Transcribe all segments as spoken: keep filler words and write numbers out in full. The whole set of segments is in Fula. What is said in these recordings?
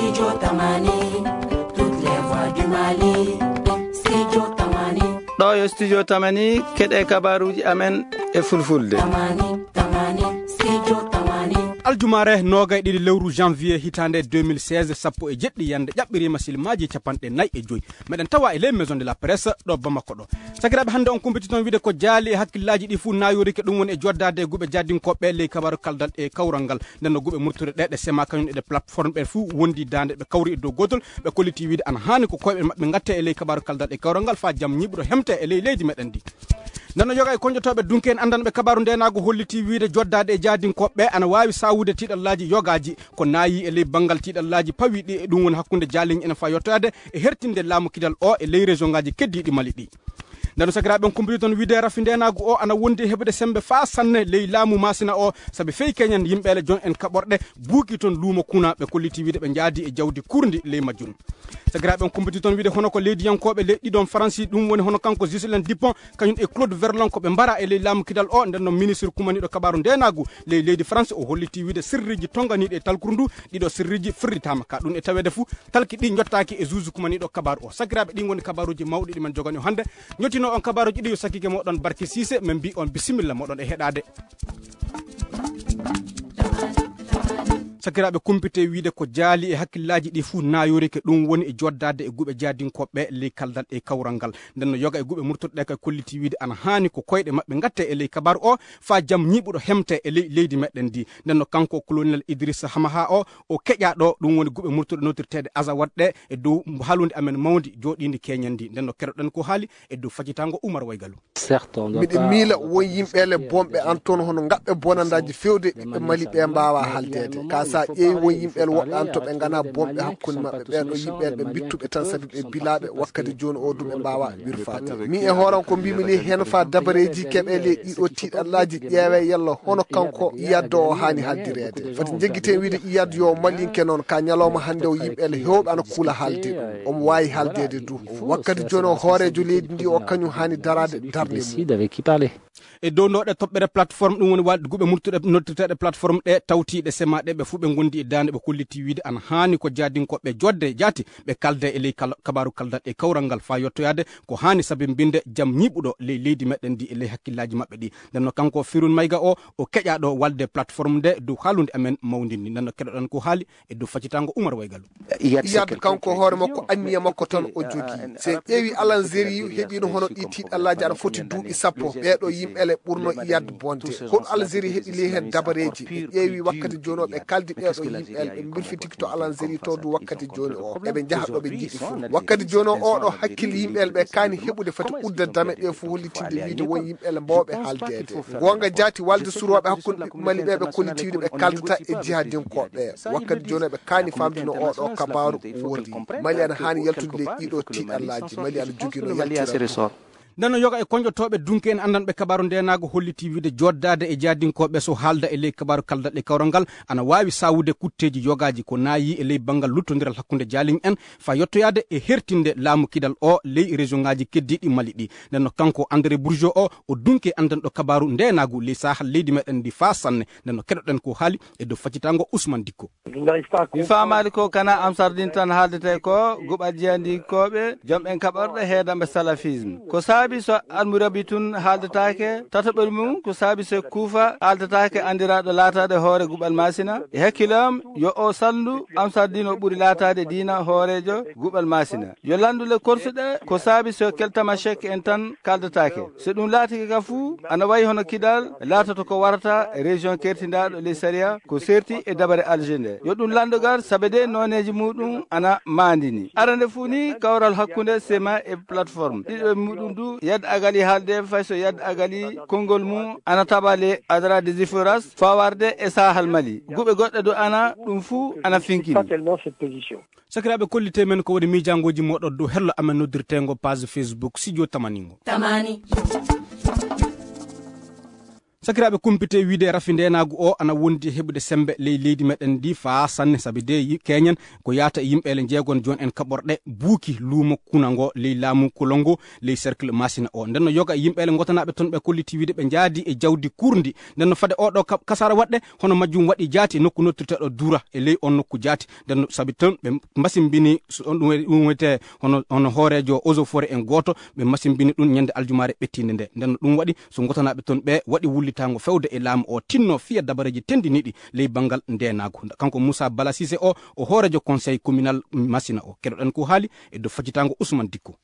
Studio Tamani, toutes les voix du Mali. Studio Tamani. Ɗo yo Studio Tamani, keɗe kabaruji amen e fulfulde. Tamani, Tamani, Studio Tamani. Aljumare nogay ɗiɗi lewru janvier hitande deux mille seize, sappo e jeɗɗi yande ƴaɓɓirima silmaji capanɗe nayi e joyi. Meɗen tawa e ley Maison de la Presse ɗo Bamako ɗo. Sakiraɓe, hannde on kumpiti toon wiide ko jaali e hakkillaji ɗi fuu nayorike, ɗum woni e joddade e guuɓe jaadinkoɓe ley kabaru kaldal e kawral ngal. Nden no guuɓe murtude ɗe, ɗe sema kañum e ɗe plateforme ɓe fuu wondi dande, ɓe kawri e dow gotol, ɓe kolliti wiide ana haani ko koyɓe maɓɓe ngatte e ley kabaru kaldal e kawral ngal faa jam ñiiɓuɗo hemte e ley leydi meɗen ndi. Nden no yoga e konjotoɓe dunke en andanɓe kabaru ndenagu holliti wiide joddade e jaadinkoɓe ana wawi sawude tiɗallaji yogaji ko nayi e ley bangal tiɗallaji pawi ɗi, e ɗum woni hakkunde jaaliñ en faa yettoyade e hertinde laamu kidal o e ley région ngaji keddiɗi Mali ɗi. Nden no sakiraɓe on kumpiti toon wiide rafi ndenagu o ana wondi e heɓude sembe faa sanne ley laamu Masina o, sabi fey keñen yimɓeele jon en kaɓorɗe buuki toon luumo kuna, ɓe kolliti wiide ɓe jaadi e jawdi kurndi ley majjum. Sakiraɓe on kumpiti toon wiide hono ko leydiyankoɓe leyɗi ɗon Faransi, ɗum woni hono kanko Ghislain Dupont, kañum e Claude Verlon ko ɓe mbara e ley laamu kidal o. Nden no ministre kumaniɗo kabaru ndenagu ley leydi France o holliti wiide sirriji tonganiɗi e talkuru ndu, ɗiɗo sirriji firritama ka ɗum e tawede fuu talki ɗi jottaaki e juge kumaniɗo kabaru o. Sakiraɓe, ɗin woni kabaruji mawɗi ɗi men jogani o hannde. Jottino on kabaruji ɗi yo sakkike moɗon Barke Sise, men mbi on bisimilla moɗon e heɗade. Sakiraɓe, kumpite wiide ko jaali e hakkillaji ɗi fuu nayorike, ɗum woni e joddade e guuɓe jaadinkoɓe ley kaldal e kawral ngal. Nden no yoga e guuɓe murtuɗe ɗe kay kolliti wiide ana haani ko koyɗe maɓɓe ngatte e ley kabaru o faa jam ñiiɓuɗo hemte e ley leydi meɗen ndi. Nden no kanko colonel Idrissa Hamaha o, o keƴa ɗo, ɗum woni guuɓe murtuɗe notirteɗe Azawad ɗe e dow haalunde amen mawndi jooɗiindi keñen ndi. Nden no keɗoɗen ko haali e dow faccitango Umar Waygalu. Miɗe miila won yimɓeele bonɓe an toon hono ngaɓɓe bonandaaji fewde ɓiɓɓe Mali ɓe mbaawa haaldeede. Ka sa ƴeewi won yimɓeele woɓɓe an to ɓe ngana bonɓe hakkunde maɓɓe, ɓeeɗo yimɓeele ɓe mbittuɓe tan sabi ɓe bilaaɓe wakkati jooni o du ɓe mbaawa wirfaade. Min e hooram ko mbimi ni heen faa dabareeji keɓe ley ɗiɗo tiiɗallaaji ƴeewe yalla hono kanko Iyad o haani haaldireede. Fati njeggiten wiide Iyad yo Malinke noon ka ñalawma hannde o yimɓeele heewɓe ana kuula haalde ɗum. Omo waawi haaldeede du. Wakkati jooni o hooreejo leydi ndi o kañum haani daraade darnde mum. E dow ndoɗe toɓɓere plateforme, ɗum woni walde guuɓe murtuɗe noddirteɗe plateforme ɗe tawtiɗe semaɗe ɓe fuu ɓe gondi e dande ɓe kolliti wiide ana haani ko jaadinkoɓe jodde jaati ɓe kalde e ley kal- kabaru kaldal e kawral ngal faa yettoyade ko haani sabi mbinde jam ñiiɓuɗo ley leydi meɗen ndi e ley hakkillaji maɓɓe ɗi. Nden no kanko Firun Mayga o, o keƴaɗo walde plateforme nde dow haalunde amen mawndi ndi. Nden no keɗoɗen ko haali e dow faccitango Umar Waygalu. Iyad kanko hoore makko anniya makko tan o jogi. So en ƴeewi Alanzeri heɓino hono ɗi tiiɗallaaji aɗa foti duuɓi sappo, ɓeeɗo yimɓeele ɓurno Iyad bonde. Hol Algérie heɓi ley heen dabareeji? En ƴeewi wakkati jooni o ɓe kaldi ɓeeɗo yimɓeele ɓe mbirfitiki to Algérie to du wakkati jooni o. Eɓe njaha ɗo ɓe njiɗi fof. Wakkati jooni o oɗo hakkille yimɓeele ɓe kaani heɓude fati udda dame ɗe fof hollitinde wiide won yimɓeele mbawɓe haaldeede. Goonga jaati walde surooɓe hakkunde ɓiɓɓe Mali ɓe ɓe kollitiiɗo ɓe kaldata e jihadinkoɓe. Wakkati jooni o ɓe kaani famdino oɗo kabaru worri. Mali ana haani yaltude ley ɗiɗo tiiɗallaaji. Mali ana jogino yaltiral. Nden no yoga e konjotoɓe dunke en andanɓe kabaru ndenago holliti wiide joddade e jaadinkoɓe so haalda e ley kabaru kaldal e kawral ngal ana wawi sawude kutteji yogaji ko nayi e ley bangal luttondiral hakkunde jaaliñ en fa yettoyade e hertinde laamu kidal o ley région ngaji keddiɗi Mali ɗi. Nden no kanko André Bourgeot o, o dunke andanɗo kabaru ndenagu ley sahal leydi meɗen ndi fa sanne. Nden no keɗoɗen ko haali e dow faccitango Ousmane Dikko. Mi faamaali ko kana Amsardin tan haaldete ko, guɓal jeyandikooɓe, jom en kaɓorɗe heedamɓe salafisme. Ko saabi so Almurabi tun haaldetaake, tataɓel mum ko saabi so Kuufa haaldetaake anndiraaɗo laataade hoore guɓal Maasina? E hakkille am, yo o salndu Amsardin o ɓuri laataade diina hooreejo guɓal Maasina. Yo lanndu le korsuɗe ko saabi so Keltamashek en tan kaaldetaake. So ɗum laatike ka fuu, ana wayi hono Kidal laatoto ko warata région kertindaaɗo ley sariya ko serti e dabare Alger nde. Yo ɗum lanndogal sabe de nooneeji muɗum ana maandini. Arande fuu ni kawral hakkunde sema e plateforme. Ɗiɗo e muɗum du Yad Agali haalde fay so Yad Agali konngol mum ana taɓa le Adra des Iforas fawarde e Sahal Mali. Guɓe goɗɗe du ana ɗum fuu ana finkini. Sakiraaɓe, kollite men ko woni miijaangooji mooɗon dow hello amen noddirteengo page Facebook Studio Tamaningo. Tamani. Sakiraaɓe, kumpite wiide rafi ndeenaagu o ana wondi e heɓude semmbe ley leydi meɗen ndi faa sanne, sabi de yi-, keñen ko yaata e yimɓeele njeegon jooni en kaɓorɗe buuki luumo kuna ngo ley laamu Kolongo, ley cercle Masina o. Nden no yoga e yimɓeele ngotanaaɓe toon ɓe kolliti wiide ɓe njaadi e jawdi kurndi. Nden no fade oɗo ka-, kasaara waɗde, hono majjum waɗi jaati e nokku noddirteeɗo Dura e ley on nokku jaati. Nden no sabi toon ɓe mbasimbini so on ɗum woni, ɗum wiyetee hono, hono hooreejo Eaux et Forêts en gooto, ɓe mbasimbini ɗum ñande aljumaare ɓettiinde nde. Nden no ɗum waɗi so ngotanaaɓe toon ɓe waɗi wullitaango fewde e laamu o tinno fiya dabareeji tenndiniiɗi ley banngal ndeenaagu. Kanko Moussa Bala Cissé o, o hooreejo conseil communal Masina o. Keɗoɗen ko haali e dow faccitaango Ousmane Dikko.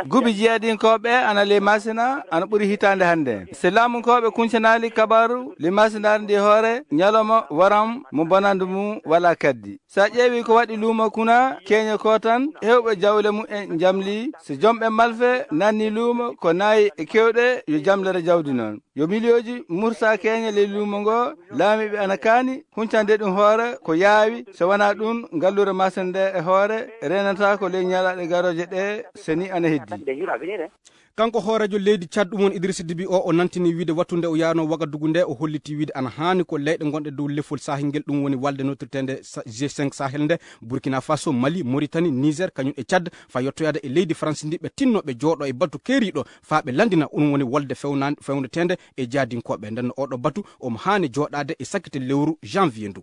Gubi jeeɗinkooɓe ana ley Masina ana ɓuri hitaande hannde. Si laamunkooɓe kuncanaali kabaaru ley Masinaare ndi hoore ñalawma waram mo bonannde mum walaa kaddi. So a ƴeewi ko waɗi luumo kuna keñe ko tan hewɓe jawle mum en njamli. So jomɓe malfe nanni luumo ko nayi e kewɗe yo jamlere jawdi noon. Yo miliyooji murta keñe ley luumo ngo, laamiiɓe ana kaani huncande ɗum hoore ko yaawi. So wonaa ɗum, ngalluure Masina nde e hoore renata ko ley ñalaaɗe garooje ɗe so ni ana heddi. Kanko hooreejo leydi Tchad ɗum woni Idrissa Déby o, o nantini wiide wattunde o yaano Wagadugu nde, o holliti wiide ana haani ko leyɗe gonɗe dow lefol Sahel ngel, ɗum woni walde notirteende Sa-, G cinq Sahel nde, Burkina Faso, Mali, Mauritanie, Niger, kañum e Tchad, faa yottoyaade e leydi France ndi, ɓe tinno ɓe jooɗo e batu keeriiɗo faa ɓe lanndina, ɗum woni wolde fewna-, fewndeteende e jaadinkooɓe. Nden no oɗo batu omo haani jooɗaade e sakkite lewru janvier ndu.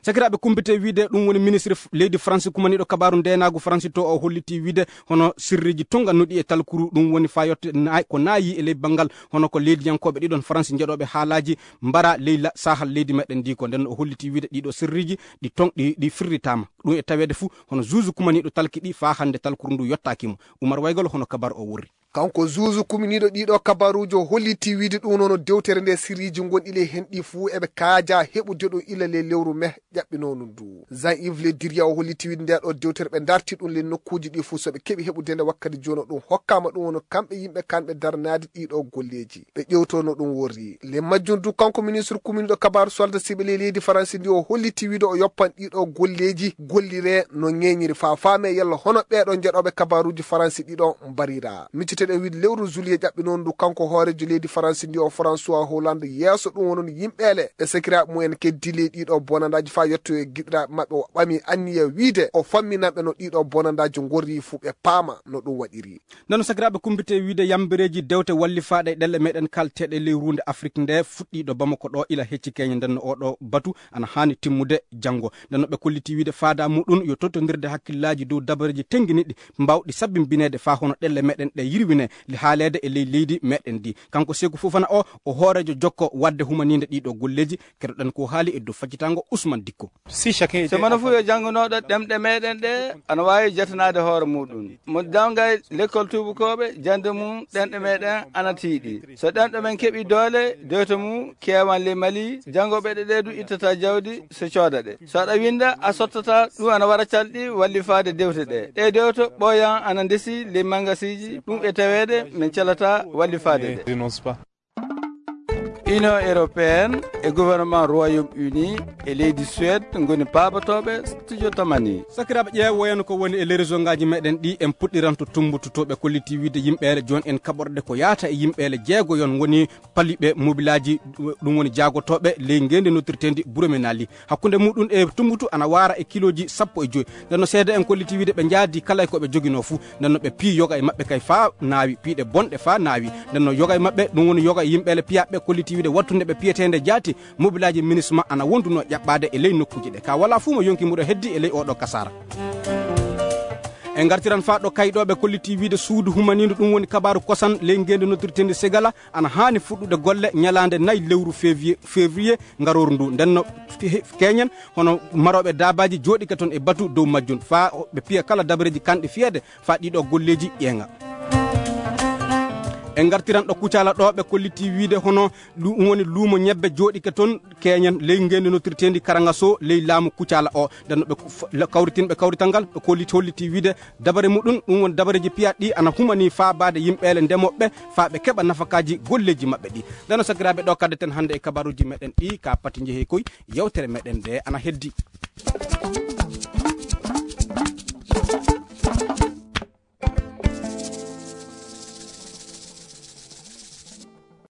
Sakiraaɓe, kumpite wiide ɗum woni ministre f-, leydi France kumaniiɗo kabaaru ndeenaagu France to, o holliti wiide hono sirriiji tongannuɗi e talkuru, ɗum woni faa yotte naay-, ko naayi e ley banngal hono ko leydiyankooɓe ɗiɗon France njeɗooɓe haalaaji mbara ley la-, sahal leydi meɗen ndi ko. Nden o holliti wiide ɗiɗo sirriiji ɗi ton-, ɗi, ɗi firritaama. Ɗum e taweede fuu hono juuju kumaniiɗo talki ɗi faa hannde talkuru ndu yottaaki mo. Umar Waygol hono kabar o worri. Kanko juuju kuminiiɗo ɗiɗo kabaruuji o holliti wiide ɗum noon dewtere nde sirriiji gonɗi ley heen ɗi fuu eɓe kaaja heɓude ɗum ila ley lewru me ƴaɓɓinoo ndu. Jean Yves Le Drian o holliti wiide nde ɗo dewtere ɓe darti ɗum ley nokkuuji ɗi fuu so ɓe keɓi heɓude nde wakkati jooni ɗum hokkaama ɗum woni kamɓe yimɓe kanɓe daranaade ɗiɗo golleeji. Ɓe ƴewtono ɗum worri. Ley majjum du kanko ministre kuminiiɗo kabaaru solda siɓe ley leydi Faransi ndi o holliti wiide o yoppan ɗiɗo golleeji gollire no ñeeñiri faa faame yalla hono ɓeeɗo njeɗooɓe kabaaruuji Faransi ɗiɗo mbarira. Micciteɗen wiide lewru juillet ƴaɓɓinoondu kanko hooreejo leydi Faransi ndi o François Hollande yeeso ɗum wonon yimɓeele e sakiraaɓe mum en keddi ley ɗiɗo bonandaaji faa yetto e giɗiraaɓe maɓɓe o ɓami anniya wiide o famminanɓe no ɗiɗo bonandaaji ngorri fuu ɓe paama no ɗum waɗiri. Nden no sakiraaɓe kumpite wiide yambereeji dewte wallifaaɗe e ɗelle meɗen kalteeɗe ley ruunde Afrik nde fuɗɗii ɗo Bamako ɗo ila hecci keñe. Nden no oɗo batu ana haani timmude janngo. Nden no ɓe kolliti wiide faada muɗum yo tottondirde hakkillaaji dow dabareeji tennginiɗi mbaawɗi sabbimbineede faa hono ɗelle meɗen ɗe yirwine li haaleede e ley leydi meɗen ndi. Kanko Seeku Fofana o, o hooreejo jokko waɗde humaniinde ɗiɗo golleeji. Keɗoɗen ko haali e dow faccitaango Ousmane Dikko. Si mano fuu yo janngunooɗo ɗemɗe meɗen ɗe ana waawi jatanaade hoore muɗum. Mo jannga lekkol tuubakooɓe, jannde mum ɗemɗe meɗen ana tiiɗi. So ɗemɗe men keɓi doole, dewte mum keewan ley Mali, janngooɓe ɗe ɗe du ittata jawdi so cooda ɗe. So aɗa winnda, a sottata, ɗum ana wara calɗi wallifaade dewte ɗe. Ɗe dewte ɓooyan ana ndesi ley mangasiiji, ɗum e taweede men calata wallifaade ɗe. Union européenne e gouvernement Royaume-Uni e leydi Suède ngoni paabotooɓe studio tamani. Sakiraaɓe, ƴeewoyen ko woni e les région ngaaji meɗen ɗi. En puɗɗiranto Tumbututooɓe kolliti wiide yimɓeele jooni en kaɓorɗe ko yaata e yimɓeele jeegoyon ngoni paliɓe mobilaaji, ɗum woni jaagotooɓe ley ngeendi noddirteendi Buremenali. Hakkunde muɗum e Tumbutu ana waara e kilooji sappo e joy. Nden no seede en kolliti wiide ɓe njaadi kala e ko ɓe joginoo fuu. Nden no ɓe pii yoga e maɓɓe kay faa naawi, piiɗe bonɗe faa naawi. Nden no yoga e maɓɓe, ɗum woni yoga e yimɓeele piyaaɓe kolliti wiide wattunde ɓe piyeteende jaati, mobilaaji minisma ana wondunoo ƴaɓɓaade e ley nokkuuji ɗe. Ka walaa fuu mo yonki muɗo heddi e ley oɗo kasaara. En ngartiran faa ɗo kayɗooɓe kolliti wiide suudu humaniindu, ɗum woni kabaaru kosan ley ngeendi noddirteendi Segala, ana haani fuɗɗude golle ñalaande nayi lewru février, février ngarooru ndu. Nden no he-, keñen hono marooɓe daabaaji jooɗike toon e batu dow majjum faa o-, ɓe piya kala dabareeji kanɗi fiyeede faa ɗiɗo golleeji ƴeeŋa. En ngartiran ɗo Kucala ɗo ɓe kolliti wiide hono lu-, woni luumo ñebbe jooɗike toon keñen ley ngeendi noddirteendi Karangaso ley laamu Kucala o. Nden no ɓe f-, la-, kawritinɓe kawrital ngal ɓe kolliti holliti wiide dabare muɗum, ɗum woni dabareeji piyaaɗi ɗi ana humanii faabaade yimɓeele ndemooɓe faa ɓe keɓa nafakaaji golleeji maɓɓe ɗi. Nden no sakiraaɓe ɗo kaddeten hannde e kabaruuji meɗen ɗi ka pati njehi koy yewtere meɗen nde ana heddi.